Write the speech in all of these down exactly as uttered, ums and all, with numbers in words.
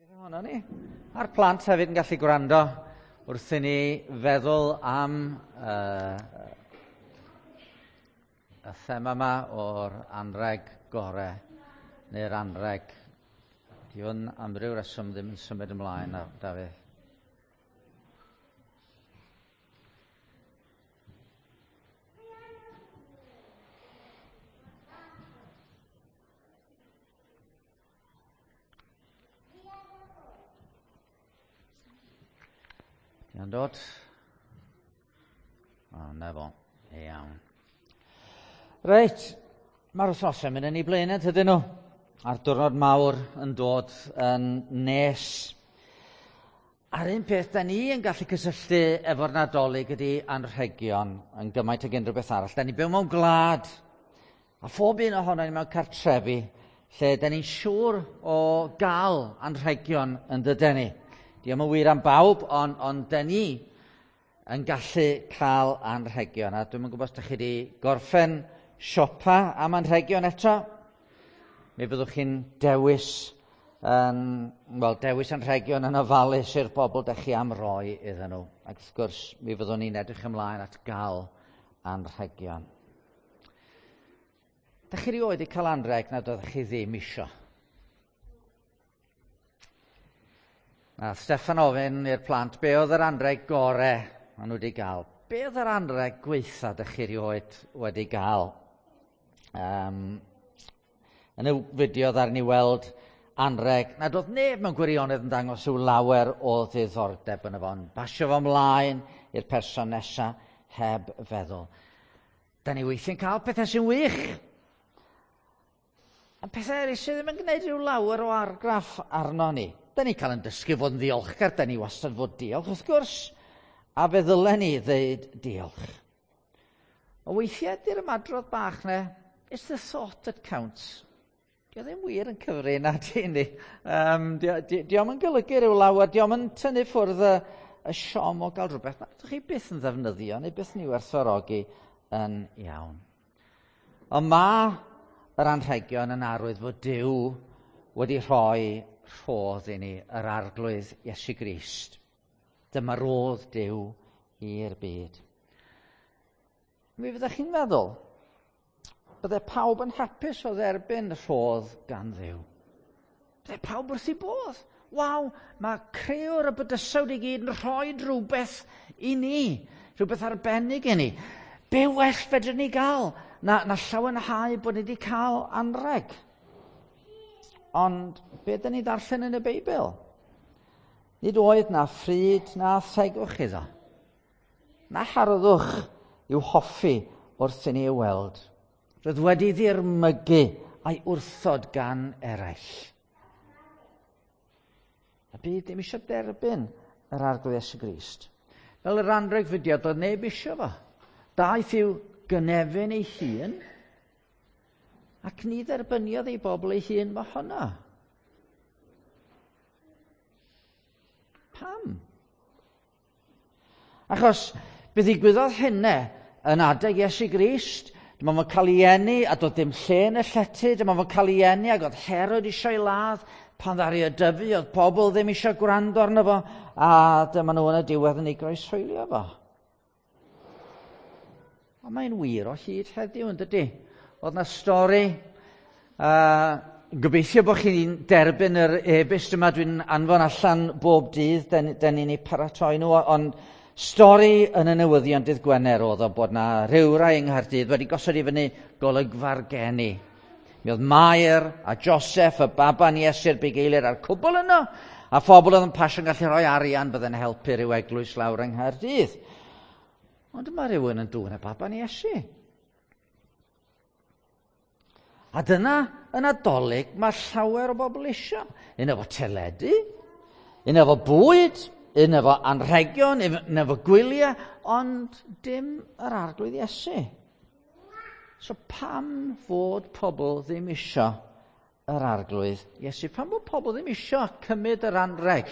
Ohono ni. A'r plant hefyd yn gallu gwrando wrth i ni feddwl am uh, y thema yma o'r anreg gore neu'r anreg. Di hwn am ryw reswm ddim yn symud ymlaen, Dafydd. Di'n dod? O, na fo. Iawn. Reit, mae'r wythnosau mynd yn ei blaenau, tydyn nhw? A'r diwrnod mawr yn dod yn nes. A'r un peth da ni yn gallu cysylltu efo'r Nadolig ydy anrhegion yn gymaint ag unrhyw beth arall. Da ni byw mewn gwlad, a phob un ohono ni mewn cartrefi, lle da ni'n siŵr o gael anrhegion yn dydyn ni. Dio'm yn wir am bawb, ond on da ni yn gallu cael anrhegion. A dwi'm yn gwybod os da chi wedi gorffen siopa am anrhegion eto. Mi fyddwch chi'n dewis, um, well, dewis anrhegion yn ofalus i'r bobl da chi am roi iddyn nhw. Ac wrth gwrs, mi fyddwn ni'n edrych ymlaen at gael anrhegion. Da chi rioed wedi cael anrheg nad oeddech chi ddim isio? Na, Steffan ofyn i'r plant, be oedd yr anrheg gore maen nhw wedi gael? Be oedd yr anrheg gweitha dych chi rioed wedi gael? Um, yn y fideo ddaru ni weld anrheg nad oedd neb mewn gwirionedd yn dangos yw lawer o ddiddordeb yn y fo. Basio fo ymlaen i'r person nesaf heb feddwl. Da ni weithiau'n cael pethau sy'n wych. A pethau eraill sydd ddim yn gwneud rhyw lawer o argraff arno ni. Da ni cael yn dysgu fod yn ddiolchgar, da ni wastad fod diolch, wrth gwrs, a fe ddylen ni ddeud diolch. O weithiau, di'r ymadrodd bach na, it's the thought that counts. Dio ddim wir yn cyfri na di ni. Um, Dio'm yn golygu rhyw lawer, dio'm yn tynnu ffwrdd y, y siom o gael rhywbeth. Na, ydych chi byth yn ddefnyddio, neu byth yn ei werthfawrogi yn iawn. Ond mae yr anrhegion yn arwydd fod Duw wedi rhoi rhodd i ni, yr Arglwydd Iesu Grist. Dyma rodd Duw i'r byd. Mi fyddech chi'n meddwl, bydde pawb yn hapus o dderbyn rhodd gan Dduw. Bydde pawb wrth ei bodd. Waw, mae crëwr y bydysawd i gyd yn rhoi rhywbeth i ni, rhywbeth arbennig i ni. Be well fedrwn ni gael na, na llawenhau bod ni wedi cael anrheg? Ond be dyn ni ddarllen yn y Beibl? Nid oedd na fryd na thegwch iddo. Na harddwch i'w hoffi wrth i ni ei weld. Roedd wedi ddirmygu a'i wrthod gan eraill. A byd ddim eisiau derbyn yr Arglwydd Iesu Grist. Fel yr anrheg fideo, doedd neb eisiau fo. Daeth i'w gynefin ei hun, ac ni dderbyniodd ei bobl ei hun mohono. Pam? Achos be ddigwyddodd hynna yn adeg Iesu Grist, dyma fo'n cael ei eni a doedd dim lle yn y llety, dyma fo'n cael ei eni ac oedd Herod eisiau ei ladd, pan ddaru o dyfu, oedd pobl ddim eisiau gwrando arno fo, a dyma nhw yn y diwedd yn ei groeshoelio fo. Ond mae'n wir o hyd heddiw, yn dydy? Oedd na stori, uh, gobeithio bod chi'n derbyn yr e-byst yma dwi'n anfon allan bob dydd, den, den ni'n ei paratoi nhw, ond stori yn y newyddion dydd Gwener oedd o bod na rhywrai yng Nghaerdydd wedi gosod i fyny golygfa'r geni. Mi oedd Mair a Joseph, y baban Iesu'r bugeiliaid a'r cwbl yno, a phobl oedd yn pasio'n gallu rhoi arian bydde'n helpu rhyw eglwys lawr yng Nghaerdydd. Ond yma rhywun yn dwyn y baban Iesu. A dyna yn Nadolig mae llawer o bobl isio. Un efo teledu, un efo bwyd, un efo anrhegion, un efo gwyliau, ond dim yr Arglwydd Iesu. So pam fod pobl ddim isio yr Arglwydd Iesu? Pam fod pobl ddim isio cymryd yr anrheg?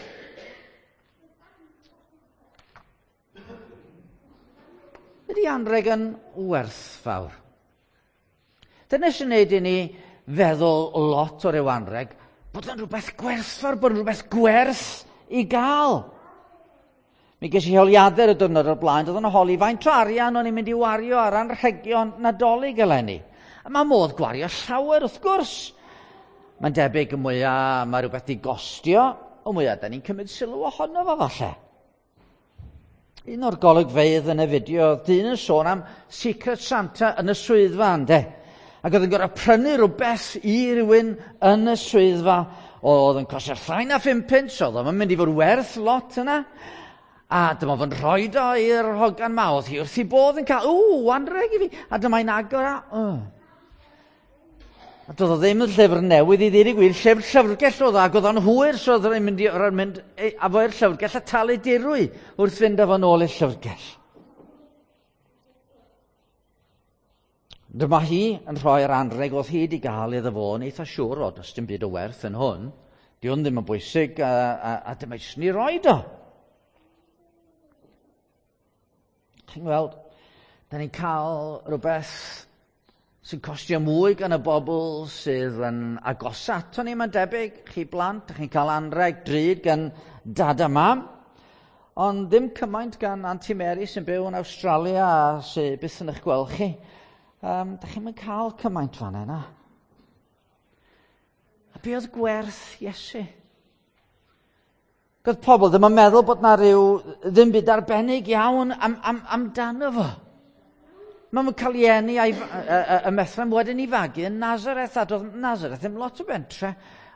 Ydy anrheg yn werthfawr? Dyna sy'n neud i ni feddwl lot o ryw anrheg. Bod o'n rhywbeth gwerthfawr, bod o'n rhywbeth gwerth i gael. Mi ges i holiadur y diwrnod o'r blaen, doedd o'n holi faint o arian o'n i'n mynd i wario ar anrhegion Nadolig eleni. A mae modd gwario llawer wrth gwrs. Mae'n debyg y mwyaf mae rhywbeth di gostio, y mwyaf da ni'n cymryd sylw ohono fo falle. Un o'r golygfeydd yn y fideo, dyn yn sôn am Secret Santa yn y swyddfa, ynde? Ac oedd yn gorfod prynu rhywbeth i rywun yn y swyddfa. Oedd yn costio llai na phum punt, so oedd o'n mynd i fod werth lot yna. A dyma fo'n rhoi o i'r hogan ma, oedd hi wrth i bodd yn cael, ww, anreg i fi. A dyma'n agor a, oh. A doedd o ddim yn llyfr newydd i ddweud y gwir, llyfr llyfrgell oedd o, ac oedd o'n hwyr, so oedd o'n mynd, i, mynd a fo i'r llyfrgell a talu dirwy wrth fynd â fo nôl i'r llyfrgell. Dyma hi yn rhoi'r anreg oedd hi wedi gael iddo fo, yn eitha siŵr o, does dim byd o werth yn hwn. Di hwn ddim yn bwysig, a, a, a dyma jyst ni roed o. Chi'n gweld, da ni'n cael rhywbeth sy'n costio mwy gan y bobl sydd yn agosa ato ni, mae'n debyg. Chi blant, chi'n cael anreg drud gan dad a mam, ond ddim cymaint gan Auntie Mary sy'n byw yn Awstralia a sy'n byth yn eich gweld chi. Um, da chi'n mynd cael cymaint fan yna. A be oedd gwerth Iesu? Oedd pobl ddim yn meddwl bod na rhyw ddim byd arbennig iawn am, am, amdano fo. Mae'n cael ei eni a'i, y Methlehem wedyn i fagu yn Nazareth, a doedd Nazareth ddim lot o bentre.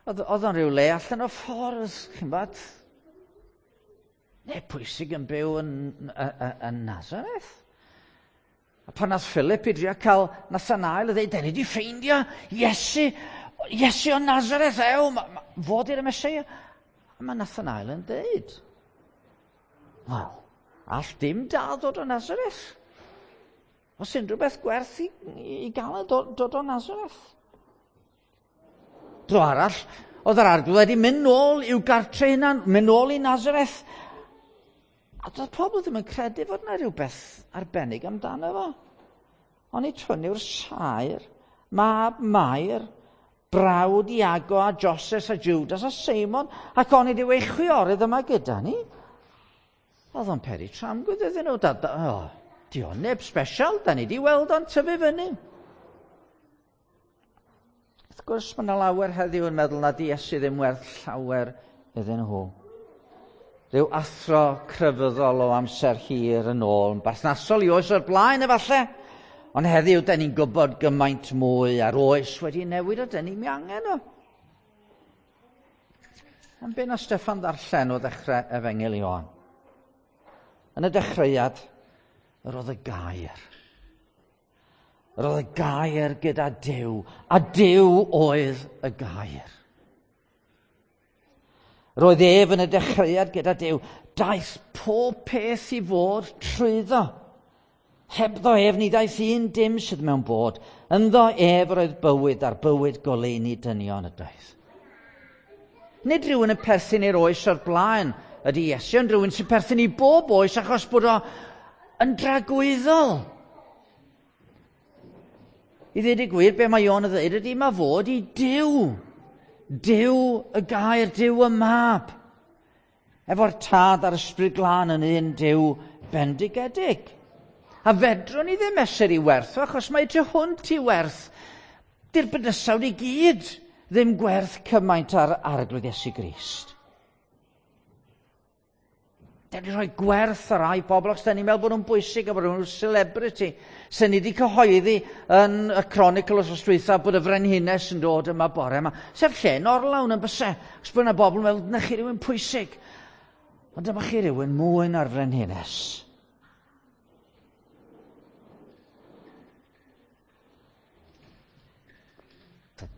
Oedd, oedd o'n rhyw le allan o ffordd, chi'n bod? Neu pwysig yn byw yn, yn, yn Nazareth. A pan nath Philip i drio cael Nathanael, a dweud, da ni wedi ffeindio Iesu, Iesu o Nazareth, ew, ma, ma, fod i'r Meseia. A mae Nathanael yn dweud, wel, all dim da ddod o Nazareth. Os unrhyw beth gwerth i, i gael e dod, dod o Nazareth. Dro arall, oedd yr arglwydd wedi mynd nôl i'w gartre hunan, mynd nôl i Nazareth. A doedd pobl ddim yn credu fod yna rhywbeth arbennig amdano fo. Ond i hwn yw'r saer, mab Mair, brawd Iago a Joses a Judas a Seimon, ac onid yw ei chwiorydd yma gyda ni. Oedd o'n peri tramgwydd iddyn nhw. Da, da, oh, di o'n neb special, da ni di weld o'n tyfu fyny. Wrth gwrs, mae yna lawer heddiw yn meddwl nad Iesu ddim werth llawer iddyn nhw. Rhyw athro crefyddol o amser hir yn ôl, yn berthnasol i oes o'r blaen efallai. Ond heddiw, da ni'n gwybod gymaint mwy a'r oes wedi newid o, da ni'n angen o. Ond be na Steffan ddarllen o ddechrau Efengyl Ioan? Yn y dechreuad, yr oedd y gair. Yr oedd y gair gyda Duw, a Duw oedd y gair. Roedd ef yn y dechreuad gyda Duw. Daeth pob peth i fod trwyddo. Hebddo ef ni ddaeth un dim sydd mewn bod. Ynddo ef yr oedd bywyd a'r bywyd goleuni dynion ydoedd. Nid rhywun yn perthyn i'r oes o'r blaen ydy Iesu, ond rhywun sy'n perthyn i bob oes achos bod o yn dragwyddol. I ddweud y gwir, be mae Ioan yn ddweud ydy mae fod i Duw. Duw y gair, Duw y mab. Efo'r tad a'r ysbryd glân yn un Duw bendigedig. A fedrwn ni ddim mesur i werth o, achos mae tu hwnt i werth. Di'r bydysawd i gyd ddim gwerth cymaint ar Arglwydd Iesu Grist. Da ni'n rhoi gwerth ar rai bobl, achos da ni'n meddwl bod nhw'n bwysig a bod nhw'n celebrity. Sy'n ni wedi cyhoeddi yn y Chronicle os dwytha bod y frenhines yn dod yma bore yma. Sef lle'n orlawn yn byse, achos bod yna bobl yn meddwl, na chi rhywun pwysig. Ond dyma chi rhywun mwy na'r frenhines.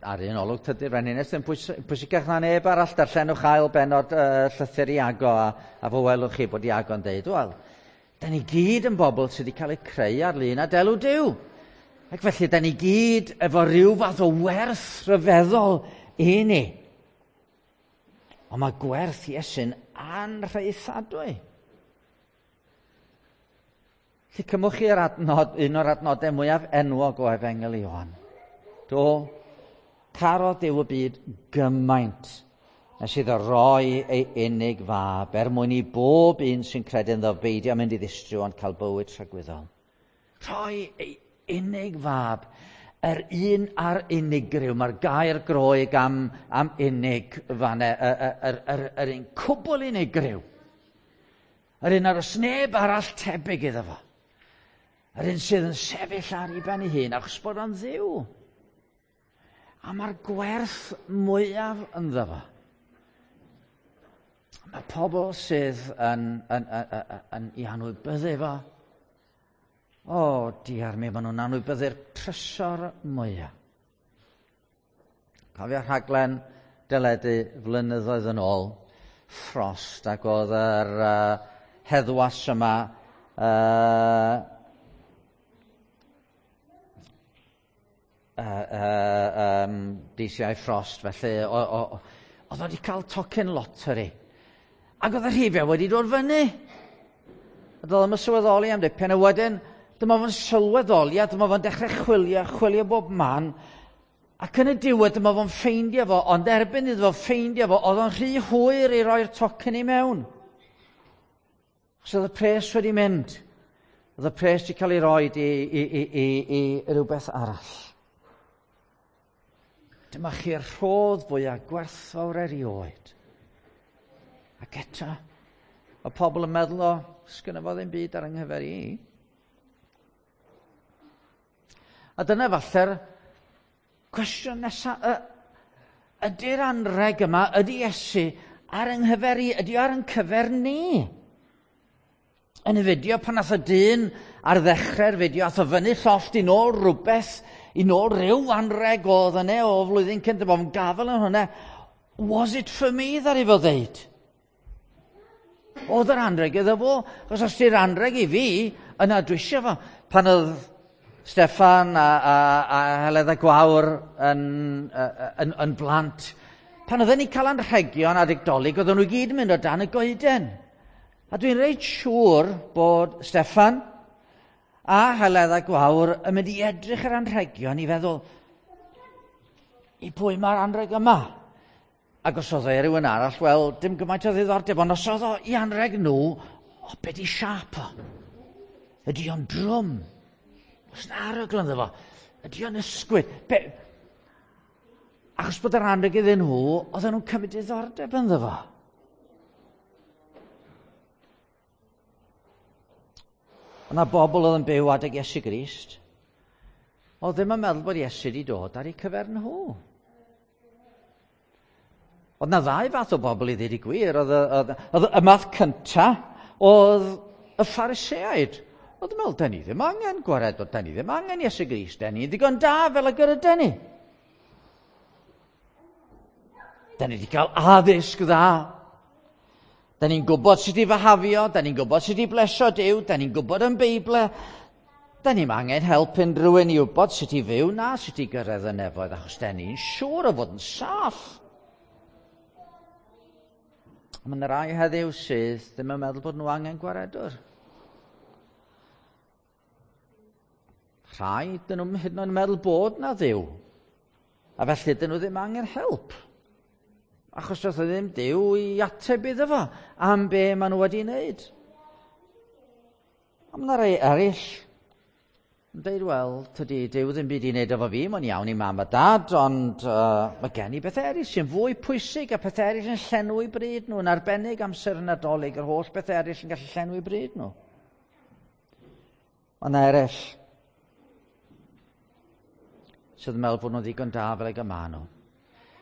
Ar un olwg, tydi'r frenhines ddim pwysicach na neb arall. Darllenwch ail bennod uh, llythyr Iago a, a fo welwch chi bod Iago'n deud, wel, da ni gyd yn bobl sydd wedi cael eu creu ar lun a delw Duw. Ac felly, da ni gyd efo rhyw fath o werth rhyfeddol i ni. Ond mae gwerth Iesu'n anrhaethadwy. Felly cymwch chi'r adnod, un o'r adnodau mwyaf enwog o Efengyl Ioan. Do, Carodd Duw y byd gymaint nes iddo roi ei unig fab er mwyn i bob un sy'n credu ynddo beidio mynd i ddistryw ond cael bywyd tragwyddol. Rhoi ei unig fab, yr un a'r unigryw. Mae'r gair Groeg am, am unig fanne, yr, yr, yr, yr un cwbl unigryw. Yr un ar oes neb arall tebyg iddo fo. Yr un sydd yn sefyll ar ei ben ei hun achos bod o'n Dduw. A mae'r gwerth mwyaf ynddo fo. Mae pobl sydd yn, yn, yn, yn, yn i anwybyddu fo. O, diar mi, maen nhw'n anwybyddu'r trysor mwyaf. Cofio rhaglen deledu flynyddoedd yn ôl, Frost, ac oedd yr uh, heddwas yma uh, uh, uh, um, D C I Frost, felly oedd o wedi cael tocyn lottery. Ac oedd y rhifau wedi dod fyny. A doedd o'm yn sylweddoli am dipyn, a wedyn dyma fo'n sylweddoli, a dyma fo'n dechrau chwilio, chwilio bob man. Ac yn y diwedd dyma fo'n ffeindio fo, ond erbyn iddo fo ffeindio fo, oedd o'n rhy hwyr i roi'r tocyn i mewn. Achos oedd y pres wedi mynd. Oedd y pres wedi cael ei roi i, i, i, i, i rhywbeth arall. Dyma chi'r rhodd fwyaf gwerthfawr erioed. Ac eto, mae pobl yn meddwl, o, sgynno fo ddim byd ar yng nghyfer i. A dyna falle'r cwestiwn nesaf, ydy'r anreg yma, ydy Iesu ar yng nghyfer i, ydy ar yng cyfer ni? Yn y fideo, pan nath y dyn ar ddechrau'r fideo, ath o fyny llofft i nôl rhywbeth, i nôl rhyw anreg oedd yna o flwyddyn cynt, bod yn gafel yn hwnna. Was it for me, ddaru fo ddeud? Oedd yr anreg iddo fo, achos os di'r anreg i fi, yna dwi eisiau fo. Pan oedd Steffan a, a, a Heledd a Gwawr yn, yn, yn blant, pan oedden ni cael anrhegion adeg Dolig, oedden nhw gyd yn mynd o dan y goeden. A dwi'n reit siŵr bod Steffan a Heledd a Gwawr yn mynd i edrych ar anrhegion i feddwl, i pwy mae'r anrheg yma? Ac os oedd e rhywun arall, wel, dim gymaint o ddiddordeb, ond os oedd o i anrheg nhw, o, be di siâp o? Ydy o'n drwm? Oes na arogl ynddo fo? Ydy o'n ysgwyd? Be? Achos bod yr anrheg iddyn nhw, oedden nhw'n cymryd diddordeb ynddo fo. Yna bobl oedd yn byw adeg Iesu Grist, oedd ddim yn meddwl bod Iesu wedi dod ar eu cyfer nhw. Oedd na ddau fath o bobl i ddweud y gwir. Oedd, oedd, oedd y math cynta oedd y Phariseaid. Oedd yn meddwl, da ni ddim angen gwared, da ni ddim angen Iesu Grist, da ni ddigon da fel ag yr ydyn ni. Da ni wedi cael addysg dda. Da ni'n gwybod sut i fahafio, da ni'n gwybod sut i blesio Duw, da ni'n gwybod yn Beibl. Da ni'n angen help unrhyw un i wybod sut i fyw na sut i gyrraedd y nefoedd, achos da ni'n siŵr o fod yn saff. Mae yna rai heddiw sydd ddim yn meddwl bod nhw angen gwaredwr. Rhai, dyn nhw'n hyd yn oed yn meddwl bod na Dduw. A felly dyn nhw ddim angen help. Achos doedd ddim Duw i ateb iddo fo am be maen nhw wedi wneud. A mae yna rai eraill yn dweud, wel, tydi Duw ddim byd i wneud efo fi, mae'n iawn i mam a dad, ond uh, mae gen i bethau eraill sy'n fwy pwysig a pethau eraill yn llenwi bryd nhw, yn arbennig amser y Nadolig, yr holl bethau eraill yn gallu llenwi bryd nhw. Mae yna eraill sydd yn meddwl bod nhw'n ddigon da fel ag y maen nhw.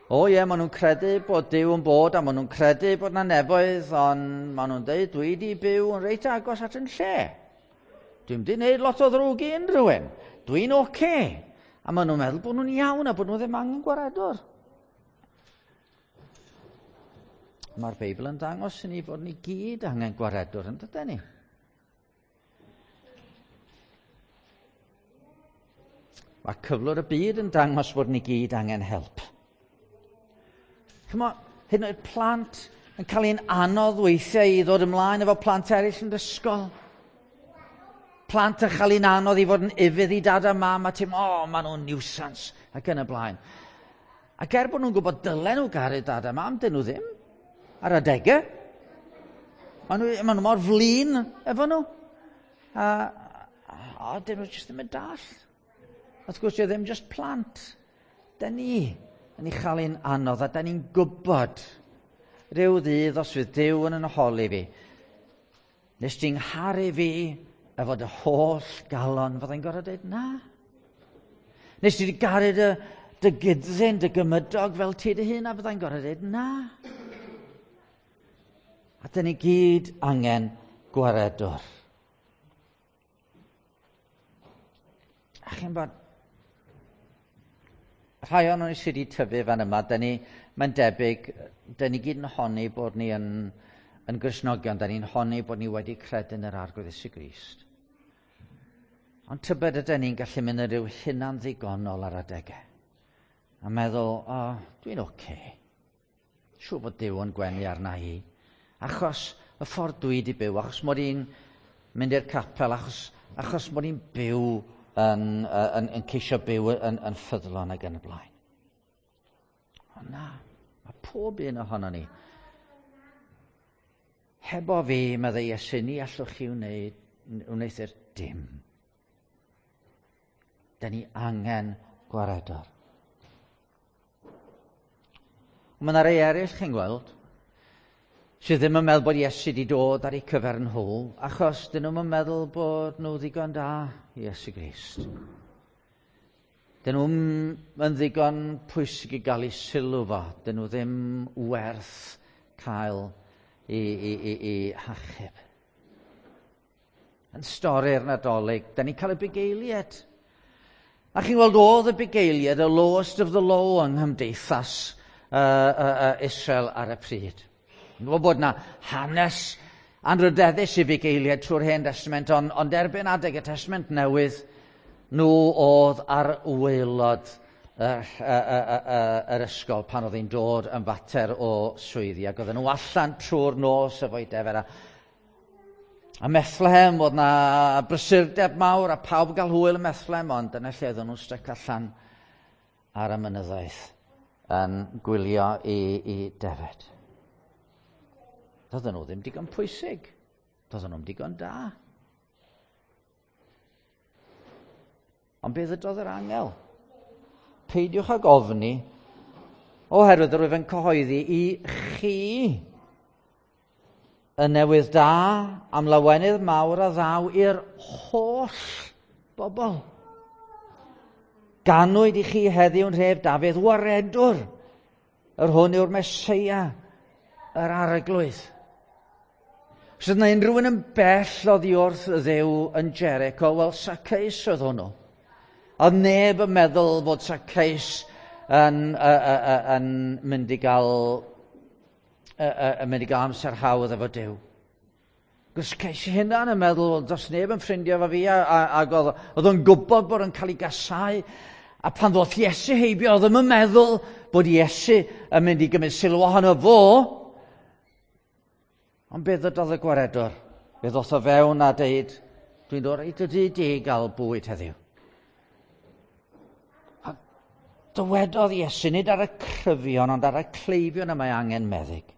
O ie, maen nhw'n credu bod Duw yn bod a maen nhw'n credu bod yna nefoedd, ond maen nhw'n dweud, dwi wedi byw yn reit agos at yn lle. Dwi'n wedi gwneud lot o ddrwg i unrhyw un. Dwi'n oce. Okay. A maen nhw'n meddwl bod nhw'n iawn a bod nhw ddim angen gwaredwr. Mae'r Beibl yn dangos i ni fod ni gyd angen gwaredwr, yn dydyn ni? Mae cyflwr y byd yn dangos bod ni gyd angen help. Chymod, hyd yn oed plant yn cael ein anodd weithiau i ddod ymlaen efo plant eraill yn ysgol. Plant yn cael ein anodd i fod yn ufudd i dad a mam a ti'n, o, oh, maen nhw'n nuisance, ac yn y blaen. Ac er bod nhw'n gwybod dylen nhw garu dad a mam, dyn nhw ddim. Ar adegau. Maen nhw, maen nhw mor flin efo nhw. A, a, a dyn nhw jyst ddim yn dall. Wrth gwrs, ddim jyst plant. Da ni yn ei chael ein anodd a da ni'n gwybod rhyw ddydd os fydd Duw yn yn holi fi. Nes ti'n ngharu fi efo dy holl galon, fyddai'n gorfod dweud na. Nes ti garu dy, dy gydsyn, dy gymydog fel ti dy hun, a fyddai'n gorfod dweud na. A dyn ni gyd angen gwaredwr. A chi'n bod, rhai o'n ni sydd wedi tyfu fan yma, dyn ni, mae'n debyg, dyn ni gyd yn honni bod ni yn, yn Gristnogion, dyn ni'n honni bod ni wedi credu yn yr Arglwydd Iesu Grist. Ond tybed ydyn ni'n gallu mynd yn rhyw hunan ddigonol ar adegau. A meddwl, o, oh, dwi'n oce. Okay. Siŵr bod Duw yn gwenu arna i. Achos y ffordd dwi wedi byw, achos mod i'n mynd i'r capel, achos, achos mod i'n byw yn, yn, yn ceisio byw yn, yn ffyddlon ac yn y blaen. Ond na, mae pob un ohono ni. Hebo fi, meddai Iesu, ni allwch chi wneud, wneuthur dim. Da ni angen gwaredwr. Mae yna rei eraill chi'n gweld, sydd ddim yn meddwl bod Iesu wedi dod ar eu cyfer nhw, achos dyn nhw'n meddwl bod nhw ddigon da i Iesu Grist. Dyn nhw'n ddigon pwysig i gael eu sylw fo. Dyn nhw ddim werth cael i, i, i, i hachub. Yn stori'r Nadolig, da ni'n cael y bugeiliad. A chi'n gweld oedd y bugeiliad, y lowest of the low yng nghymdeithas uh, uh, uh, Israel ar y pryd. Yn gwybod bod na hanes anrydeddus i fugeiliaid trwy'r Hen Testament, ond, ond erbyn adeg y Testament Newydd, nhw oedd ar waelod yr, yr ysgol pan oedd hi'n dod yn fater o swyddi, ac oedden nhw allan trwy'r nos efo'i defer. A, a Methlehem, oedd na brysurdeb mawr a pawb gael hwyl yn Methlehem, ond dyna lle oedden nhw'n styc allan ar y mynyddoedd yn gwylio i, i defed. Doedden nhw ddim digon pwysig. Doedden nhw'm digon da. Ond be ddydodd yr angel? Peidiwch ag ofni, oherwydd yr wyf yn cyhoeddi i chi y newydd da am lawenydd mawr a ddaw i'r holl bobl. Ganwyd i chi heddiw'n rhef Dafydd waredwr, yr hwn yw'r Meseia, yr Arglwydd. Os oedd yna unrhyw un yn bell oddi wrth Dduw yn Jericho, wel, Zacchaeus oedd hwnnw. Oedd neb yn meddwl fod Zacchaeus yn, uh, uh, uh, yn mynd i gael, uh, uh, yn mynd i gael amser hawdd efo Duw. Zacchaeus hunan yn meddwl, does neb yn ffrindiau efo fi, a, a, ac oedd, oedd o'n gwybod bod o'n cael ei gasau. A pan ddoth Iesu heibio, oedd ddim yn meddwl bod Iesu yn mynd i gymryd sylw ohono fo. Ond be ddydodd y gwaredwr? Fe ddoth o fewn a deud, dwi'n dod reit y dŷ di gael bwyd heddiw. A dywedodd Iesu, nid ar y cryfion, ond ar y cleifion y mae angen meddyg.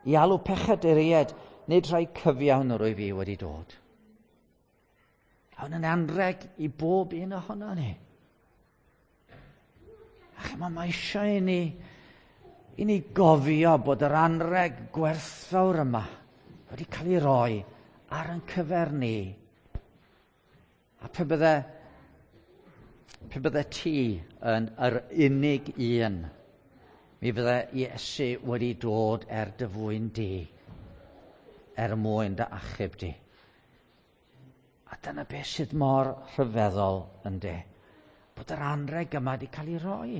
I alw pechaduriaid, nid rhai cyfiawn yr wyf fi wedi dod. A hwn yn anreg i bob un ohono ni. A chymod, mae eisiau i ni, i ni gofio bod yr anreg gwerthfawr yma wedi cael ei roi ar ein cyfer ni. A pe bydde, pe bydde ti yn yr unig un, mi fydde Iesu wedi dod er dy fwyn di, er mwyn dy achub di. A dyna beth sydd mor rhyfeddol ynde, bod yr anreg yma wedi cael ei roi.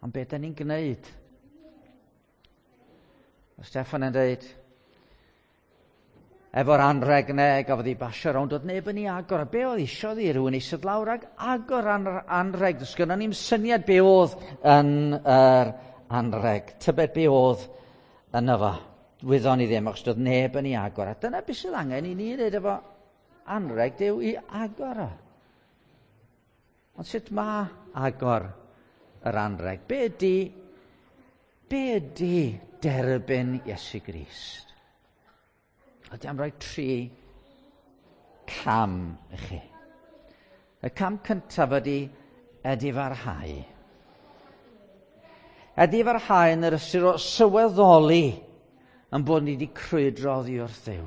Ond beth da ni'n gwneud? Mae Steffan yn dweud, efo'r anreg ne, gafodd ei basio rownd, oedd neb yn ei agor. A be oedd isio ddi rhywun eistedd lawr ag agor anreg? Does gynnon ni'm syniad be oedd yn yr anreg. Tybed be oedd yno fo. Wyddon ni ddim, achos doedd neb yn ei agor. A dyna beth sydd angen i ni wneud efo anreg, Duw i agor o. Ond sut mae agor yr anreg? Be ydy, be ydy derbyn Iesu Grist? A dwi am roi tri cam i chi. Y cam cyntaf ydy edifarhau. Edifarhau yn yr ystyr o sylweddoli yn bod ni wedi crwydro oddi wrth Dduw.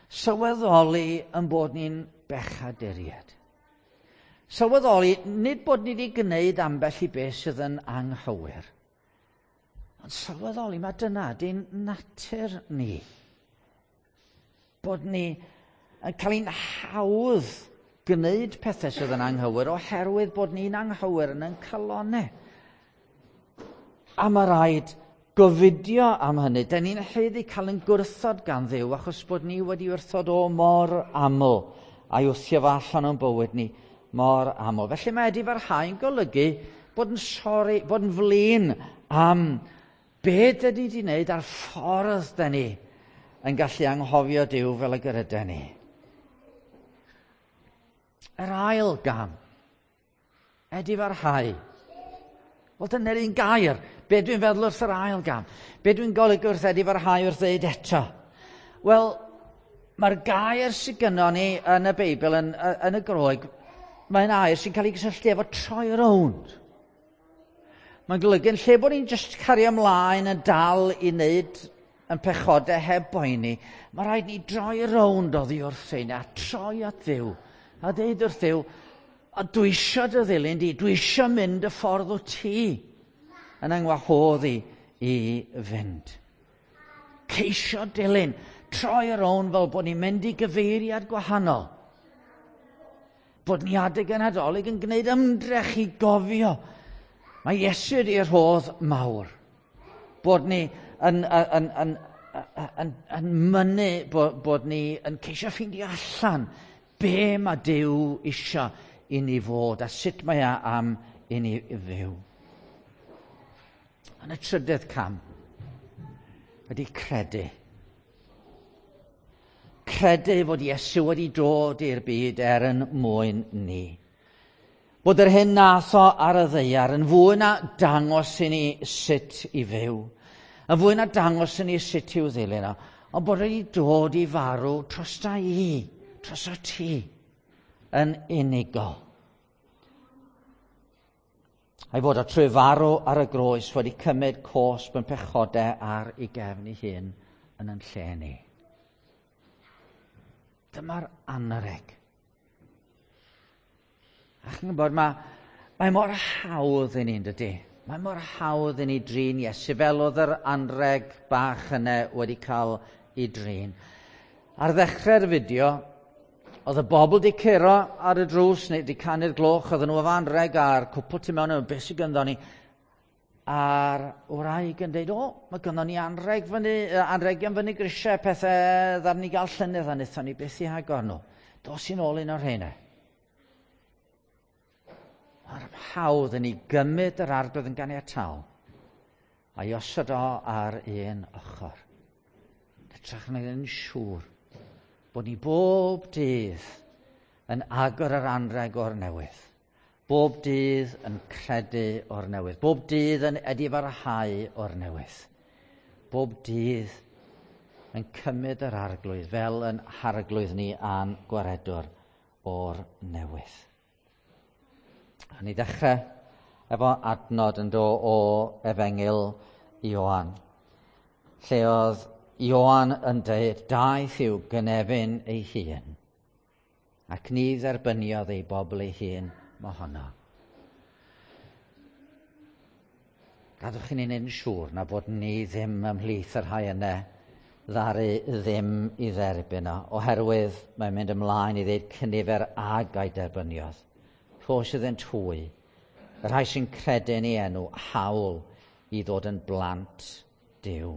Sylweddoli yn bod ni'n bechaduriaid. Sylweddoli, nid bod ni wedi gwneud ambell i beth sydd yn anghywir, ond sylweddoli mae dyna di'n natur ni. Bod ni yn cael ein hawdd gwneud pethau sydd yn anghywir oherwydd bod ni'n anghywir yn ein calonnau. A mae rhaid gofidio am hynny. Da ni'n haeddu cael ein gwrthod gan Dduw achos bod ni wedi wrthod o mor aml a'i wthio fo allan o'n bywyd ni mor aml. Felly mae edifarhau'n golygu bod yn sori, bod yn flin am be dyn ni wedi wneud a'r ffordd dyn ni yn gallu anghofio Duw fel y gyda ni. Yr ail gam, edifarhau. Wel, dyna'r un gair. Be dwi'n feddwl wrth yr ail gam? Be dwi'n golygu wrth edifarhau wrth ddeud eto? Wel, mae'r gair sydd gynnon ni yn y Beibl, yn, yn y Groeg, mae'n air sy'n cael ei gysylltu efo troi rownd. Mae'n golygu yn lle bod ni'n just cario ymlaen yn dal i wneud yn pechodau heb boeni, mae rhaid ni droi rownd oddi wrth ein a troi at Dduw. A deud wrth Dduw, a dwi isio dy ddilyn di, dwi isio mynd y ffordd o ti yn yngwahodd i i fynd. Ceisio dilyn, troi rownd fel bod ni'n mynd i gyfeiriad gwahanol. Bod ni adeg y Nadolig yn gwneud ymdrech i gofio. Mae Iesu ydi'r rhodd mawr. Bod ni yn, yn, yn, yn, yn, yn mynnu bod, bod ni yn ceisio ffeindio allan be mae Duw isio i ni fod a sut mae e am i ni fyw. Yn y trydydd cam ydy credu. Credu fod Iesu wedi dod i'r byd er yn mwyn ni. Bod yr hyn nath o ar y ddaear yn fwy na dangos i ni sut i fyw. Yn fwy na dangos i ni sut i'w ddilyn o. Ond bod wedi dod i farw trosta i, trosta ti, yn unigol. A'i fod o trwy farw ar y groes wedi cymryd cosb yn pechodau ar ei gefn ei hun yn yn lle ni. Dyma'r anreg. A chi'n gwybod, mae, mae mor hawdd i ni, dydy? Mae mor hawdd i ni drin Iesu fel oedd yr anreg bach yna wedi cael ei drin. Ar ddechrau'r fideo, oedd y bobl di curo ar y drws neu di canu'r gloch, oedden nhw efo anreg a'r cwpl tu mewn, beth sydd gynddon ni? A'r wraig yn dweud, o, mae gynddon ni anreg fyny, anregion fyny grisiau, pethau ddaru ni gael llynedd a wnaethon ni byth i agor nhw. Dos i'n ôl un o'r rheina. Mae'r hawdd yn ei gymryd yr Arglwydd yn ganiataol a'i osod o ar un ochr. Hytrach na yn siŵr bod ni bob dydd yn agor yr anreg o'r newydd. Bob dydd yn credu o'r newydd. Bob dydd yn edifarhau o'r newydd. Bob dydd yn cymryd yr Arglwydd fel yn harglwydd ni a'n gwaredwr o'r newydd. A ni ddechrau efo adnod yn dod o Efengyl Ioan, lle oedd Ioan yn dweud, daeth i'w gynefin ei hun, ac ni dderbyniodd ei bobl ei hun mohono. Gadwch i ni wneud yn siŵr na bod ni ddim ymhlith yr rhai yna ddaru ddim i dderbyn o, oherwydd mae'n mynd ymlaen i ddeud cynifer ag a'i derbyniodd. Rhos iddynt hwy, y rhai sy'n credu yn ei enw, hawl i ddod yn blant Duw.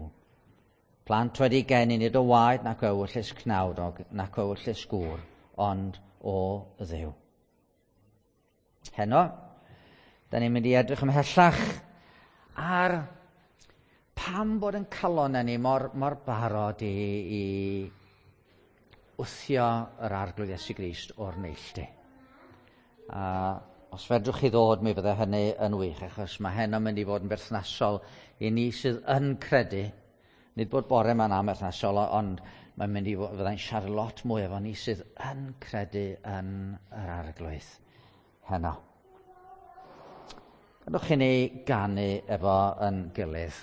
Plant wedi geni nid o waed nac o ewyllys cnawd nac o ewyllys gŵr, ond o Dduw. Heno, da ni'n mynd i edrych ymhellach ar pam bod yn calonnau ni mor, mor barod i, i wthio yr Arglwydd Iesu Grist o'r neilltu. A os fedrwch chi ddod, mi fydde hynny yn wych, achos mae heno'n mynd i fod yn berthnasol i ni sydd yn credu. Nid bod bore yma'n amherthnasol, ond mae'n mynd i fod, fyddai'n siarad lot mwy efo ni sydd yn credu yn yr Arglwydd heno. Gadwch i ni ganu efo yn gilydd.